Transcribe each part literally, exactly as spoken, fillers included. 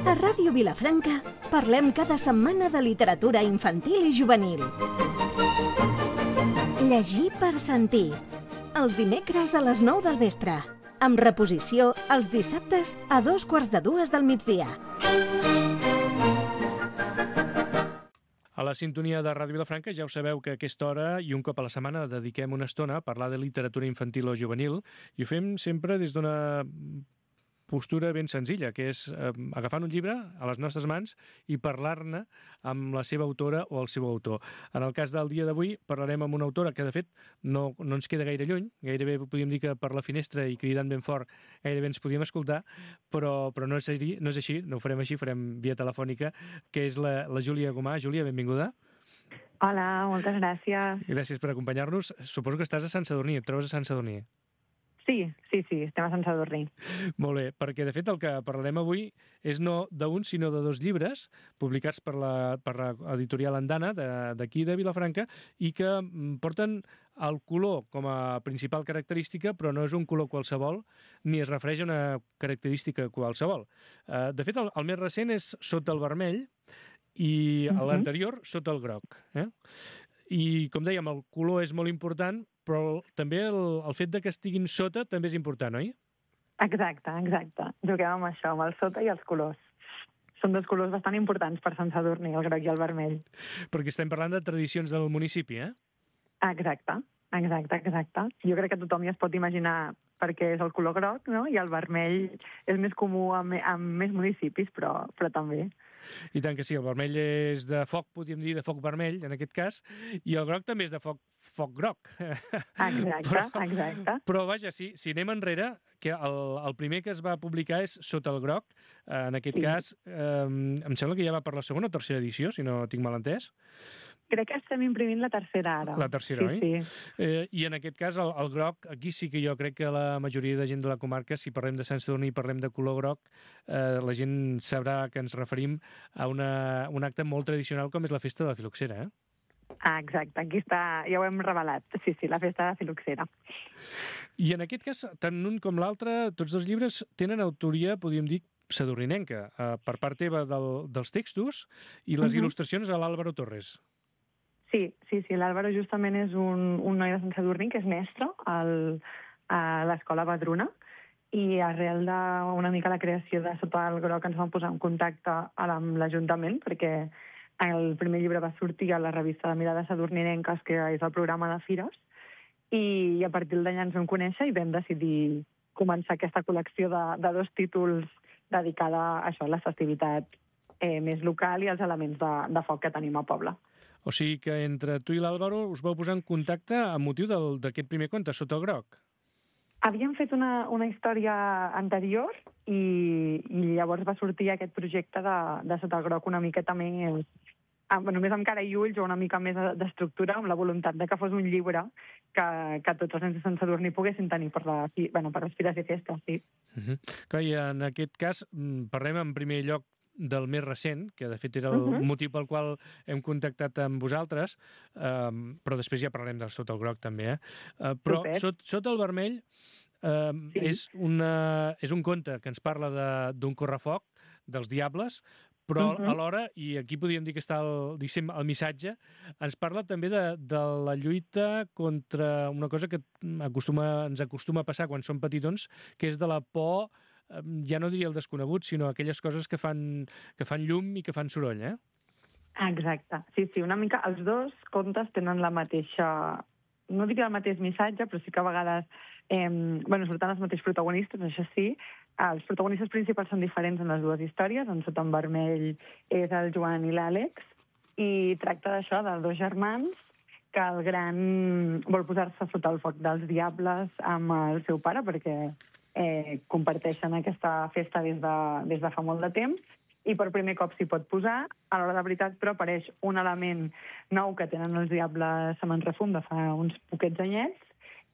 A Ràdio Vilafranca parlem cada setmana de literatura infantil i juvenil. Llegir per sentir. Els dimecres a les nou del vespre. Amb reposició els dissabtes a dos quarts de dues del migdia. A la sintonia de Ràdio Vilafranca ja ho sabeu que a aquesta hora i un cop a la setmana dediquem una estona a parlar de literatura infantil o juvenil i ho fem sempre des d'una postura ben senzilla, que és eh, agafant un llibre a les nostres mans i parlar-ne amb la seva autora o el seu autor. En el cas del dia d'avui parlarem amb una autora que, de fet, no, no ens queda gaire lluny, gairebé podríem dir que per la finestra i cridant ben fort gairebé ens podíem escoltar, però, però no, és així, no és així, no ho farem així, farem via telefònica, que és la, la Júlia Gomà. Júlia, benvinguda. Hola, moltes gràcies. Gràcies per acompanyar-nos. Suposo que estàs a Sant Sadurní, et trobes a Sant Sadurní. Sí, sí, sí, estem a Sant Sadurní. Molt bé, perquè de fet el que parlarem avui és no d'un, sinó de dos llibres publicats per la, per l'editorial Andana d'aquí de, de Vilafranca i que porten el color com a principal característica, però no és un color qualsevol ni es refereix a una característica qualsevol. De fet, el, el més recent és Sota el vermell i uh-huh. l'anterior Sota el groc. Eh? I, com dèiem, el color és molt important, però també el, el fet de que estiguin sota també és important, oi? Exacte, exacte. Juguem amb això, amb el sota i els colors. Són dos colors bastant importants per Sant Sadurní, el groc i el vermell. Perquè estem parlant de tradicions del municipi, eh? Exacte, exacte, exacte. Jo crec que tothom ja es pot imaginar perquè és el color groc, no? I el vermell és més comú en, en més municipis, però, però també. I tant que sí, el vermell és de foc, podríem dir, de foc vermell, en aquest cas, i el groc també és de foc, foc groc. Exacte, però, exacte. Però, vaja, si, si anem enrere, que el, el primer que es va publicar és Sota el groc, eh, en aquest sí. cas, eh, em sembla que ja va per la segona o tercera edició, si no tinc mal entès. Crec que estem imprimint la tercera ara. La tercera, sí, oi? Sí. Eh, I en aquest cas, el, el groc, aquí sí que jo crec que la majoria de gent de la comarca, si parlem de Sant Sadurní i parlem de color groc, eh, la gent sabrà que ens referim a una, un acte molt tradicional com és la festa de la filoxera, eh? Ah, exacte, aquí està, ja ho hem revelat. Sí, sí, la festa de la filoxera. I en aquest cas, tant un com l'altre, tots dos llibres tenen autoria, podríem dir, sadurninenca, eh, per part teva del, dels textos i les uh-huh. il·lustracions a l'Àlvaro Torres. Sí, sí, sí, l'Àlvaro justament és un, un noi de Sant Sadurní que és mestre al, a l'escola Badruna i arrel d'una mica la creació de Sota el groc ens vam posar en contacte amb l'Ajuntament perquè el primer llibre va sortir a la revista de Mirades Sadurninenques, que és el programa de Fires, i a partir d'allà ens vam conèixer i vam decidir començar aquesta col·lecció de, de dos títols dedicada a això, a la festivitat eh, més local i als elements de, de foc que tenim a poble. O sigui que entre tu i l'Àlvaro us vau posar en contacte amb motiu d'aquest primer conte, Sota el groc. Havíem fet una, una història anterior i, i llavors va sortir aquest projecte de, de Sota el groc una miqueta més, amb, només amb cara i ulls o una mica més d'estructura, amb la voluntat de que fos un llibre que, que tots els nens de Sant Sadurní poguessin tenir per, la, bueno, per les fires i festes, sí. Uh-huh. Clar, i en aquest cas parlem en primer lloc del més recent, que de fet era el uh-huh. motiu pel qual hem contactat amb vosaltres, eh, però després ja parlarem del Sota el groc també, eh? Eh, però sot, Sota el vermell eh, sí. és, una, és un conte que ens parla d'un correfoc, dels diables, però uh-huh. alhora, i aquí podríem dir que està el, diguéssim, el missatge, ens parla també de, de la lluita contra una cosa que acostuma, ens acostuma a passar quan som petitons, que és de la por, ja no diria el desconegut, sinó aquelles coses que fan, que fan llum i que fan soroll, eh? Exacte. Sí, sí, una mica els dos contes tenen la mateixa... No diria el mateix missatge, però sí que a vegades eh, bueno, surten els mateixos protagonistes, això sí. Els protagonistes principals són diferents en les dues històries. En Sota en vermell és el Joan i l'Àlex, i tracta d'això, de dos germans, que el gran vol posar-se sota el foc dels diables amb el seu pare, perquè Eh, comparteixen aquesta festa des de, des de fa molt de temps i per primer cop s'hi pot posar. A l'hora de veritat, però, apareix un element nou que tenen els diables a Manrefum de fa uns poquets anyets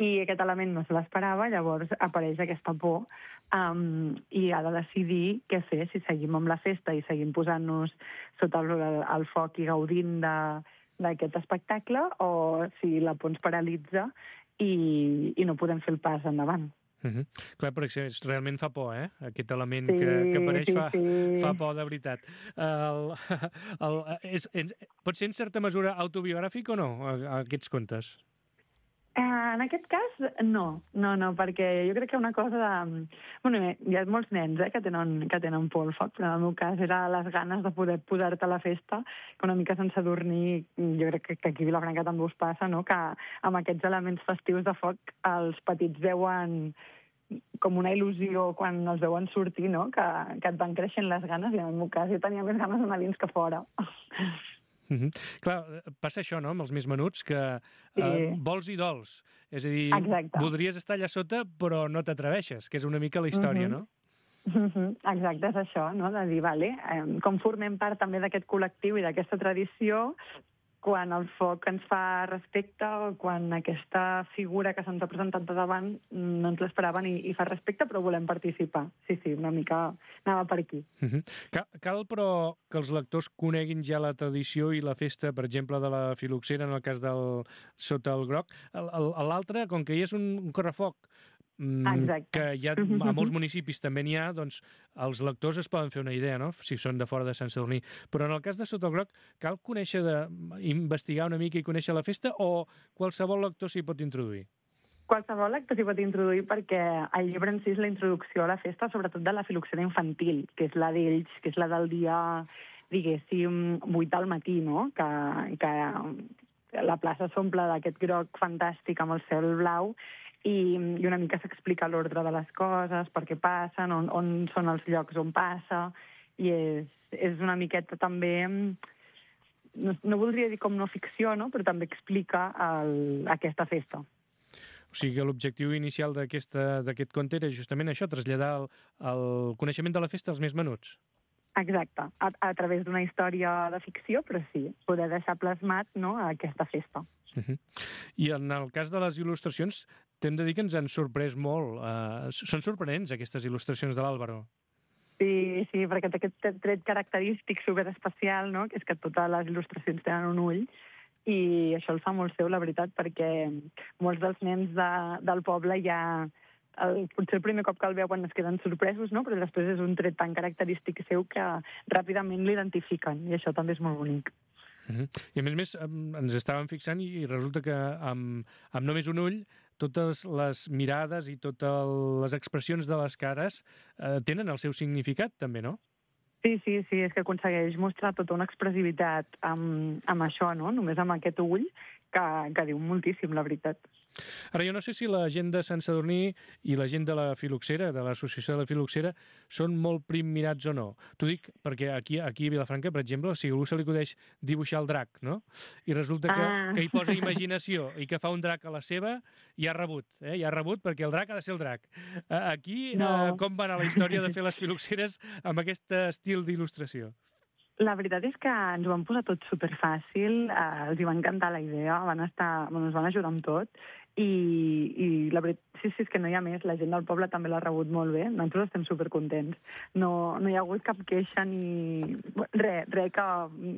i aquest element no se l'esperava, llavors apareix aquesta por um, i ha de decidir què fer, si seguim amb la festa i seguim posant-nos sota el, el foc i gaudint d'aquest espectacle o si la por ens paralitza i, i no podem fer el pas endavant. Uh -huh. Clar, perquè realment fa por, eh? Aquest element sí, que, que apareix sí, fa, sí. fa por de veritat. El, el, és, és, pot ser en certa mesura autobiogràfic o no, aquests contes? Eh, en aquest cas, no. No, no, perquè jo crec que una cosa de... Bueno, hi ha molts nens eh, que, tenen, que tenen por al foc, però en el meu cas era les ganes de poder posar-te a la festa, que una mica sense dormir, jo crec que, que aquí a Vilafranca també us passa, no? Que amb aquests elements festius de foc els petits veuen com una il·lusió quan els veuen sortir, no? Que, que et van creixent les ganes, i en el meu cas jo tenia més ganes d'anar dins que fora. Mm -hmm. Clar, passa això, no?, amb els més menuts, que sí. eh, vols i dols. És a dir, exacte. voldries estar allà sota, però no t'atreveixes, que és una mica la història, mm -hmm. no? Mm -hmm. Exacte, és això, no?, de dir, vale, eh, com formem part també d'aquest col·lectiu i d'aquesta tradició, quan el foc ens fa respecte, o quan aquesta figura que se'ns ha presentat de davant no ens l'esperaven i, i fa respecte, però volem participar. Sí, sí, una mica anava per aquí. Uh -huh. Cal, cal, però, que els lectors coneguin ja la tradició i la festa, per exemple, de la Filoxera, en el cas del Sota el Groc. L'altre, com que hi és un, un correfoc, Exacte. que hi ha, a molts municipis també n'hi ha, doncs els lectors es poden fer una idea, no?, si són de fora de Sant Sadurní. Però en el cas de Sota el Groc, cal conèixer, de, investigar una mica i conèixer la festa, o qualsevol lector s'hi pot introduir? Qualsevol lector s'hi pot introduir, perquè el llibre en si és la introducció a la festa, sobretot de la Filoxera infantil, que és la d'ells, que és la del dia, diguéssim, vuit del matí, no?, que, que la plaça s'omple d'aquest groc fantàstic amb el cel blau, i, i una mica s'explica l'ordre de les coses, per què passen, on, on són els llocs on passa, i és, és una miqueta també, no, no voldria dir com no ficció, no?, però també explica el, aquesta festa. O sigui que l'objectiu inicial d'aquest conte era justament això, traslladar el, el coneixement de la festa als més menuts. Exacte, a, a través d'una història de ficció, però sí, poder deixar plasmat, no?, aquesta festa. Uh -huh. I en el cas de les il·lustracions, t'hem de dir que ens han sorprès molt. Uh, són sorprenents, aquestes il·lustracions de l'Àlvaro. Sí, sí, perquè té aquest tret característic superespecial, no?, que és que totes les il·lustracions tenen un ull, i això el fa molt seu, la veritat, perquè molts dels nens de, del poble ja... El, potser el primer cop que el veuen es queden sorpresos, no?, però després és un tret tan característic seu que ràpidament l'identifiquen, i això també és molt bonic. Uh -huh. I a més a més ens estàvem fixant i resulta que amb, amb només un ull totes les mirades i totes les expressions de les cares eh, tenen el seu significat també, no? Sí, sí, sí, és que aconsegueix mostrar tota una expressivitat amb, amb això, no?, només amb aquest ull, que, que diu moltíssim, la veritat. Ara, jo no sé si la gent de Sant Sadurní i la gent de la Filoxera, de l'associació de la Filoxera, són molt primmirats o no. T'ho dic perquè aquí, aquí a Vilafranca, per exemple, si a algú se li acudeix dibuixar el drac, no?, i resulta que, ah. que hi posa imaginació i que fa un drac a la seva, ja ha rebut, eh? ja ha rebut perquè el drac ha de ser el drac. Aquí, no. eh, com va anar la història de fer les Filoxeres amb aquest estil d'il·lustració? La veritat és que ens ho van posar tot superfàcil, eh, els hi va encantar la idea, van estar, bueno, ens van ajudar amb tot, i, i la veritat, sí, sí, és que no hi ha més, la gent del poble també l'ha rebut molt bé, nosaltres estem supercontents. No, no hi ha hagut cap queixa ni... res, res que,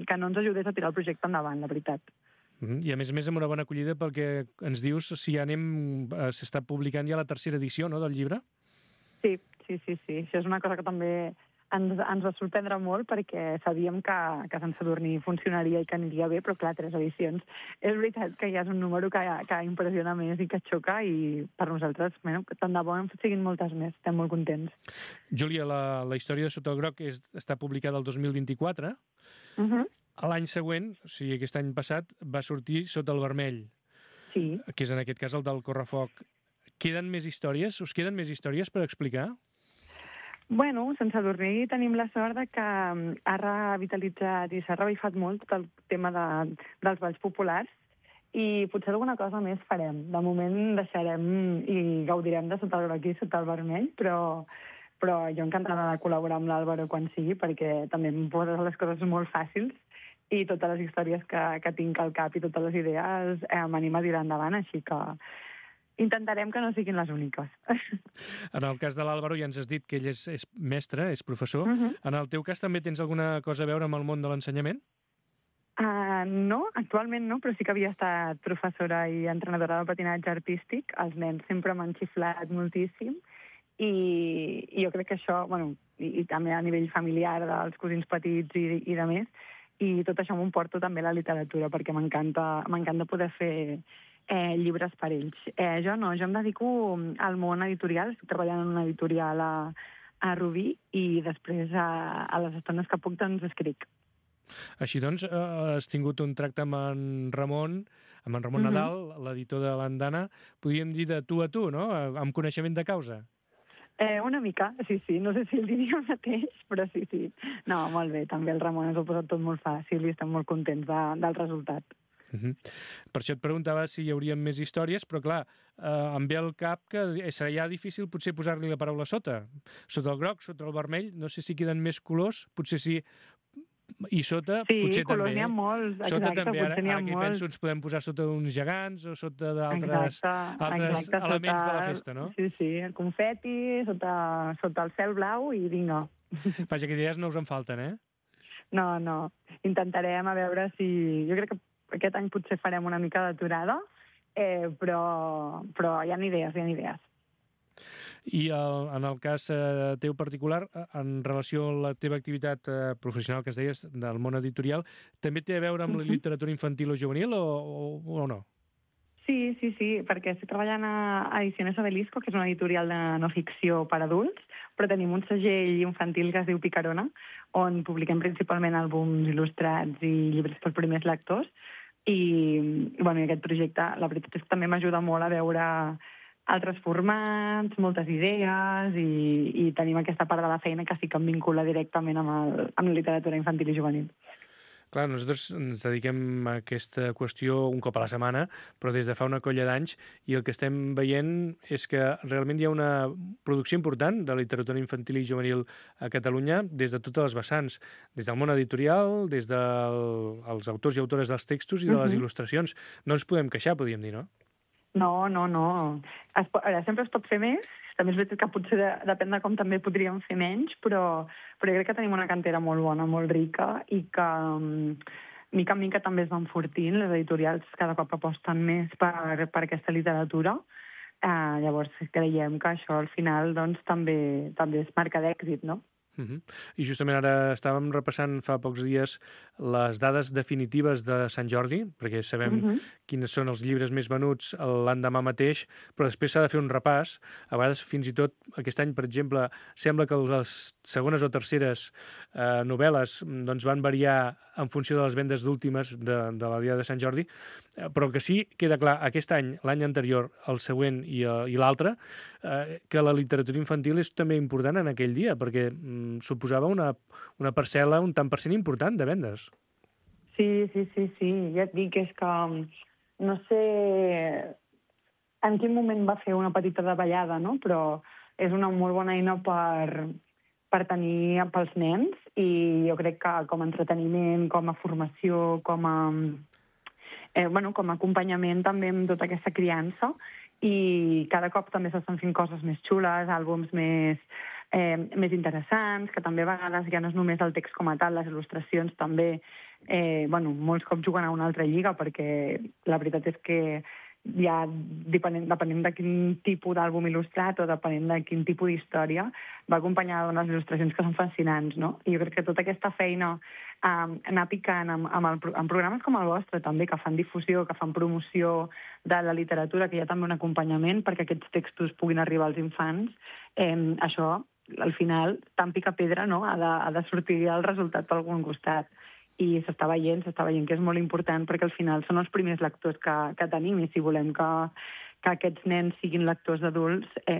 que no ens ajudés a tirar el projecte endavant, la veritat. Uh-huh. I a més a més amb una bona acollida perquè ens dius si ja anem, s'està publicant ja la tercera edició, no?, del llibre? Sí, sí, sí, sí, això és una cosa que també... Ens, ens va sorprendre molt perquè sabíem que, que Sant Sadurní funcionaria i que aniria bé, però clar, tres edicions. És veritat que ja és un número que, que impressiona més i que xoca, i per nosaltres, bueno, tant de bo en siguin moltes més, estem molt contents. Júlia, la, la història de Sota el Groc és, està publicada el dos mil vint-i-quatre. Uh -huh. L'any següent, o sigui, aquest any passat, va sortir Sota el Vermell, sí. que és en aquest cas el del Correfoc. Queden més històries? Us queden més històries per explicar? Bueno, Sant Sadurní tenim la sort de que ha revitalitzat i s'ha revifat molt tot el tema de, dels balls populars, i potser alguna cosa més farem. De moment deixarem i gaudirem de Sota el Groc i Sota el Vermell, però, però jo encantada de col·laborar amb l'Àlvaro quan sigui, perquè també em posa les coses molt fàcils, i totes les històries que, que tinc al cap i totes les idees eh, m'anima a tirar endavant, així que intentarem que no siguin les úniques. En el cas de l'Àlvaro ja ens has dit que ell és, és mestre, és professor. Uh-huh. En el teu cas també tens alguna cosa a veure amb el món de l'ensenyament? Uh, no, actualment no, però sí que havia estat professora i entrenadora de patinatge artístic. Els nens sempre m'han xiflat moltíssim i, i jo crec que això, bueno, i, i també a nivell familiar dels cosins petits i, i de més, i tot això m'ho porto també a la literatura perquè m'encanta m'encanta poder fer eh, llibres per ells. Eh, jo no, jo em dedico al món editorial, estic treballant en una editorial a, a Rubí i després a, a les estones que puc doncs escric. Així doncs, eh, has tingut un tracte amb en Ramon, amb en Ramon uh-huh. Nadal, l'editor de l'Andana, podríem dir de tu a tu, no?, amb coneixement de causa. Eh, una mica, sí, sí, no sé si el diria el mateix, però sí, sí. No, molt bé, també el Ramon ens ho ha posat tot molt fàcil i estem molt contents de, del resultat. Uh-huh. Per això et preguntava si hi haurien més històries, però clar, eh, em ve al cap que serà ja difícil potser posar-li la paraula sota. Sota el groc, sota el vermell, no sé si queden més colors, potser sí, i sota sí, potser també. Sí, colors n'hi ha molts, sota exacte, també, ara, potser n'hi ha ara que hi molts. penso ens podem posar sota uns gegants o sota d'altres altres exacte, elements sota, de la festa, no? Sí, sí, el confeti, sota, sota el cel blau i vinga. Vaja, que idees no us en falten, eh? No, no, intentarem a veure si... Jo crec que aquest any potser farem una mica d'aturada, eh, però, però hi ha idees, hi ha idees. I el, en el cas eh, teu particular, en relació a la teva activitat eh, professional que es deies del món editorial, també té a veure amb uh-huh. la literatura infantil o juvenil o, o, o no? Sí, sí, sí, perquè estic treballant a Ediciones Obelisco, que és una editorial de no ficció per adults, però tenim un segell infantil que es diu Picarona, on publiquem principalment àlbums il·lustrats i llibres per primers lectors, i, i bueno, aquest projecte, la veritat és que també m'ajuda molt a veure altres formats, moltes idees, i, i tenim aquesta part de la feina que sí que em vincula directament amb, el, amb la literatura infantil i juvenil. Clar, nosaltres ens dediquem a aquesta qüestió un cop a la setmana, però des de fa una colla d'anys, i el que estem veient és que realment hi ha una producció important de literatura infantil i juvenil a Catalunya des de totes les vessants, des del món editorial, des dels del, autors i autores dels textos i de les uh-huh. il·lustracions. No ens podem queixar, podríem dir, no? No, no, no. Es, ara, sempre es pot fer més. També és veritat que potser de, depèn de com també podríem fer menys, però, però jo crec que tenim una cantera molt bona, molt rica, i que um, mica en mica també es van fortint. Les editorials cada cop aposten més per, per aquesta literatura. Uh, llavors creiem que això al final doncs, també, també és marca d'èxit, no? Uh-huh. I justament ara estàvem repassant fa pocs dies les dades definitives de Sant Jordi, perquè sabem uh-huh. quins són els llibres més venuts l'endemà mateix, però després s'ha de fer un repàs. A vegades, fins i tot, aquest any, per exemple, sembla que les segones o terceres eh, novel·les doncs, van variar en funció de les vendes d'últimes de, de la dia de Sant Jordi, però que sí queda clar aquest any, l'any anterior, el següent i, i l'altre, eh, que la literatura infantil és també important en aquell dia, perquè mm, suposava una, una parcel·la, un tant per cent important de vendes. Sí, sí, sí, sí. Ja et dic, és que no sé en quin moment va fer una petita davallada, no? Però és una molt bona eina per, per tenir pels nens, i jo crec que com a entreteniment, com a formació, com a... Eh, bueno, com a acompanyament també amb tota aquesta criança, i cada cop també s'estan fent coses més xules, àlbums més, eh, més interessants, que també a vegades ja no és només el text com a tal, les il·lustracions també, eh, bueno, molts cops juguen a una altra lliga, perquè la veritat és que ja depenent, depenent de quin tipus d'àlbum il·lustrat o depenent de quin tipus d'història, va acompanyada d'unes il·lustracions que són fascinants, no? I jo crec que tota aquesta feina um, anar picant amb, amb, el, amb programes com el vostre també, que fan difusió, que fan promoció de la literatura, que hi ha també un acompanyament perquè aquests textos puguin arribar als infants, eh, això, al final, tant pica pedra, no? Ha de, ha de sortir el resultat per algun costat. I s'està veient, s'està veient que és molt important perquè al final són els primers lectors que, que tenim, i si volem que, que aquests nens siguin lectors adults, eh,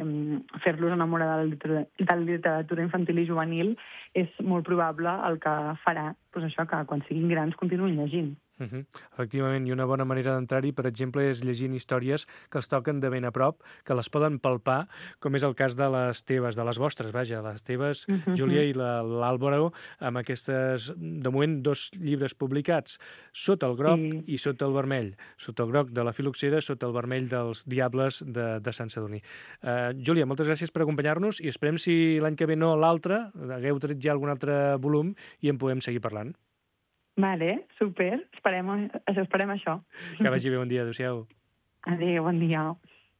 fer-los enamorar de la, literatura, de la literatura infantil i juvenil és molt probable el que farà doncs això, que quan siguin grans continuïn llegint. Uh-huh. Efectivament, i una bona manera d'entrar-hi, per exemple, és llegint històries que els toquen de ben a prop, que les poden palpar, com és el cas de les teves, de les vostres, vaja, les teves, uh-huh. Júlia, i l'Àlvaro, amb aquestes, de moment, dos llibres publicats, Sota el groc sí. i Sota el vermell. Sota el groc de la Filoxera, Sota el vermell dels Diables de, de Sant Sadurní. Uh, Júlia, moltes gràcies per acompanyar-nos, i esperem si l'any que ve no l'altre, hagueu tret ja algun altre volum i en podem seguir parlant. Vale, super. Esperem, això, esperem això. Que vagi bé, bon dia. Adéu-siau. Adéu, bon dia.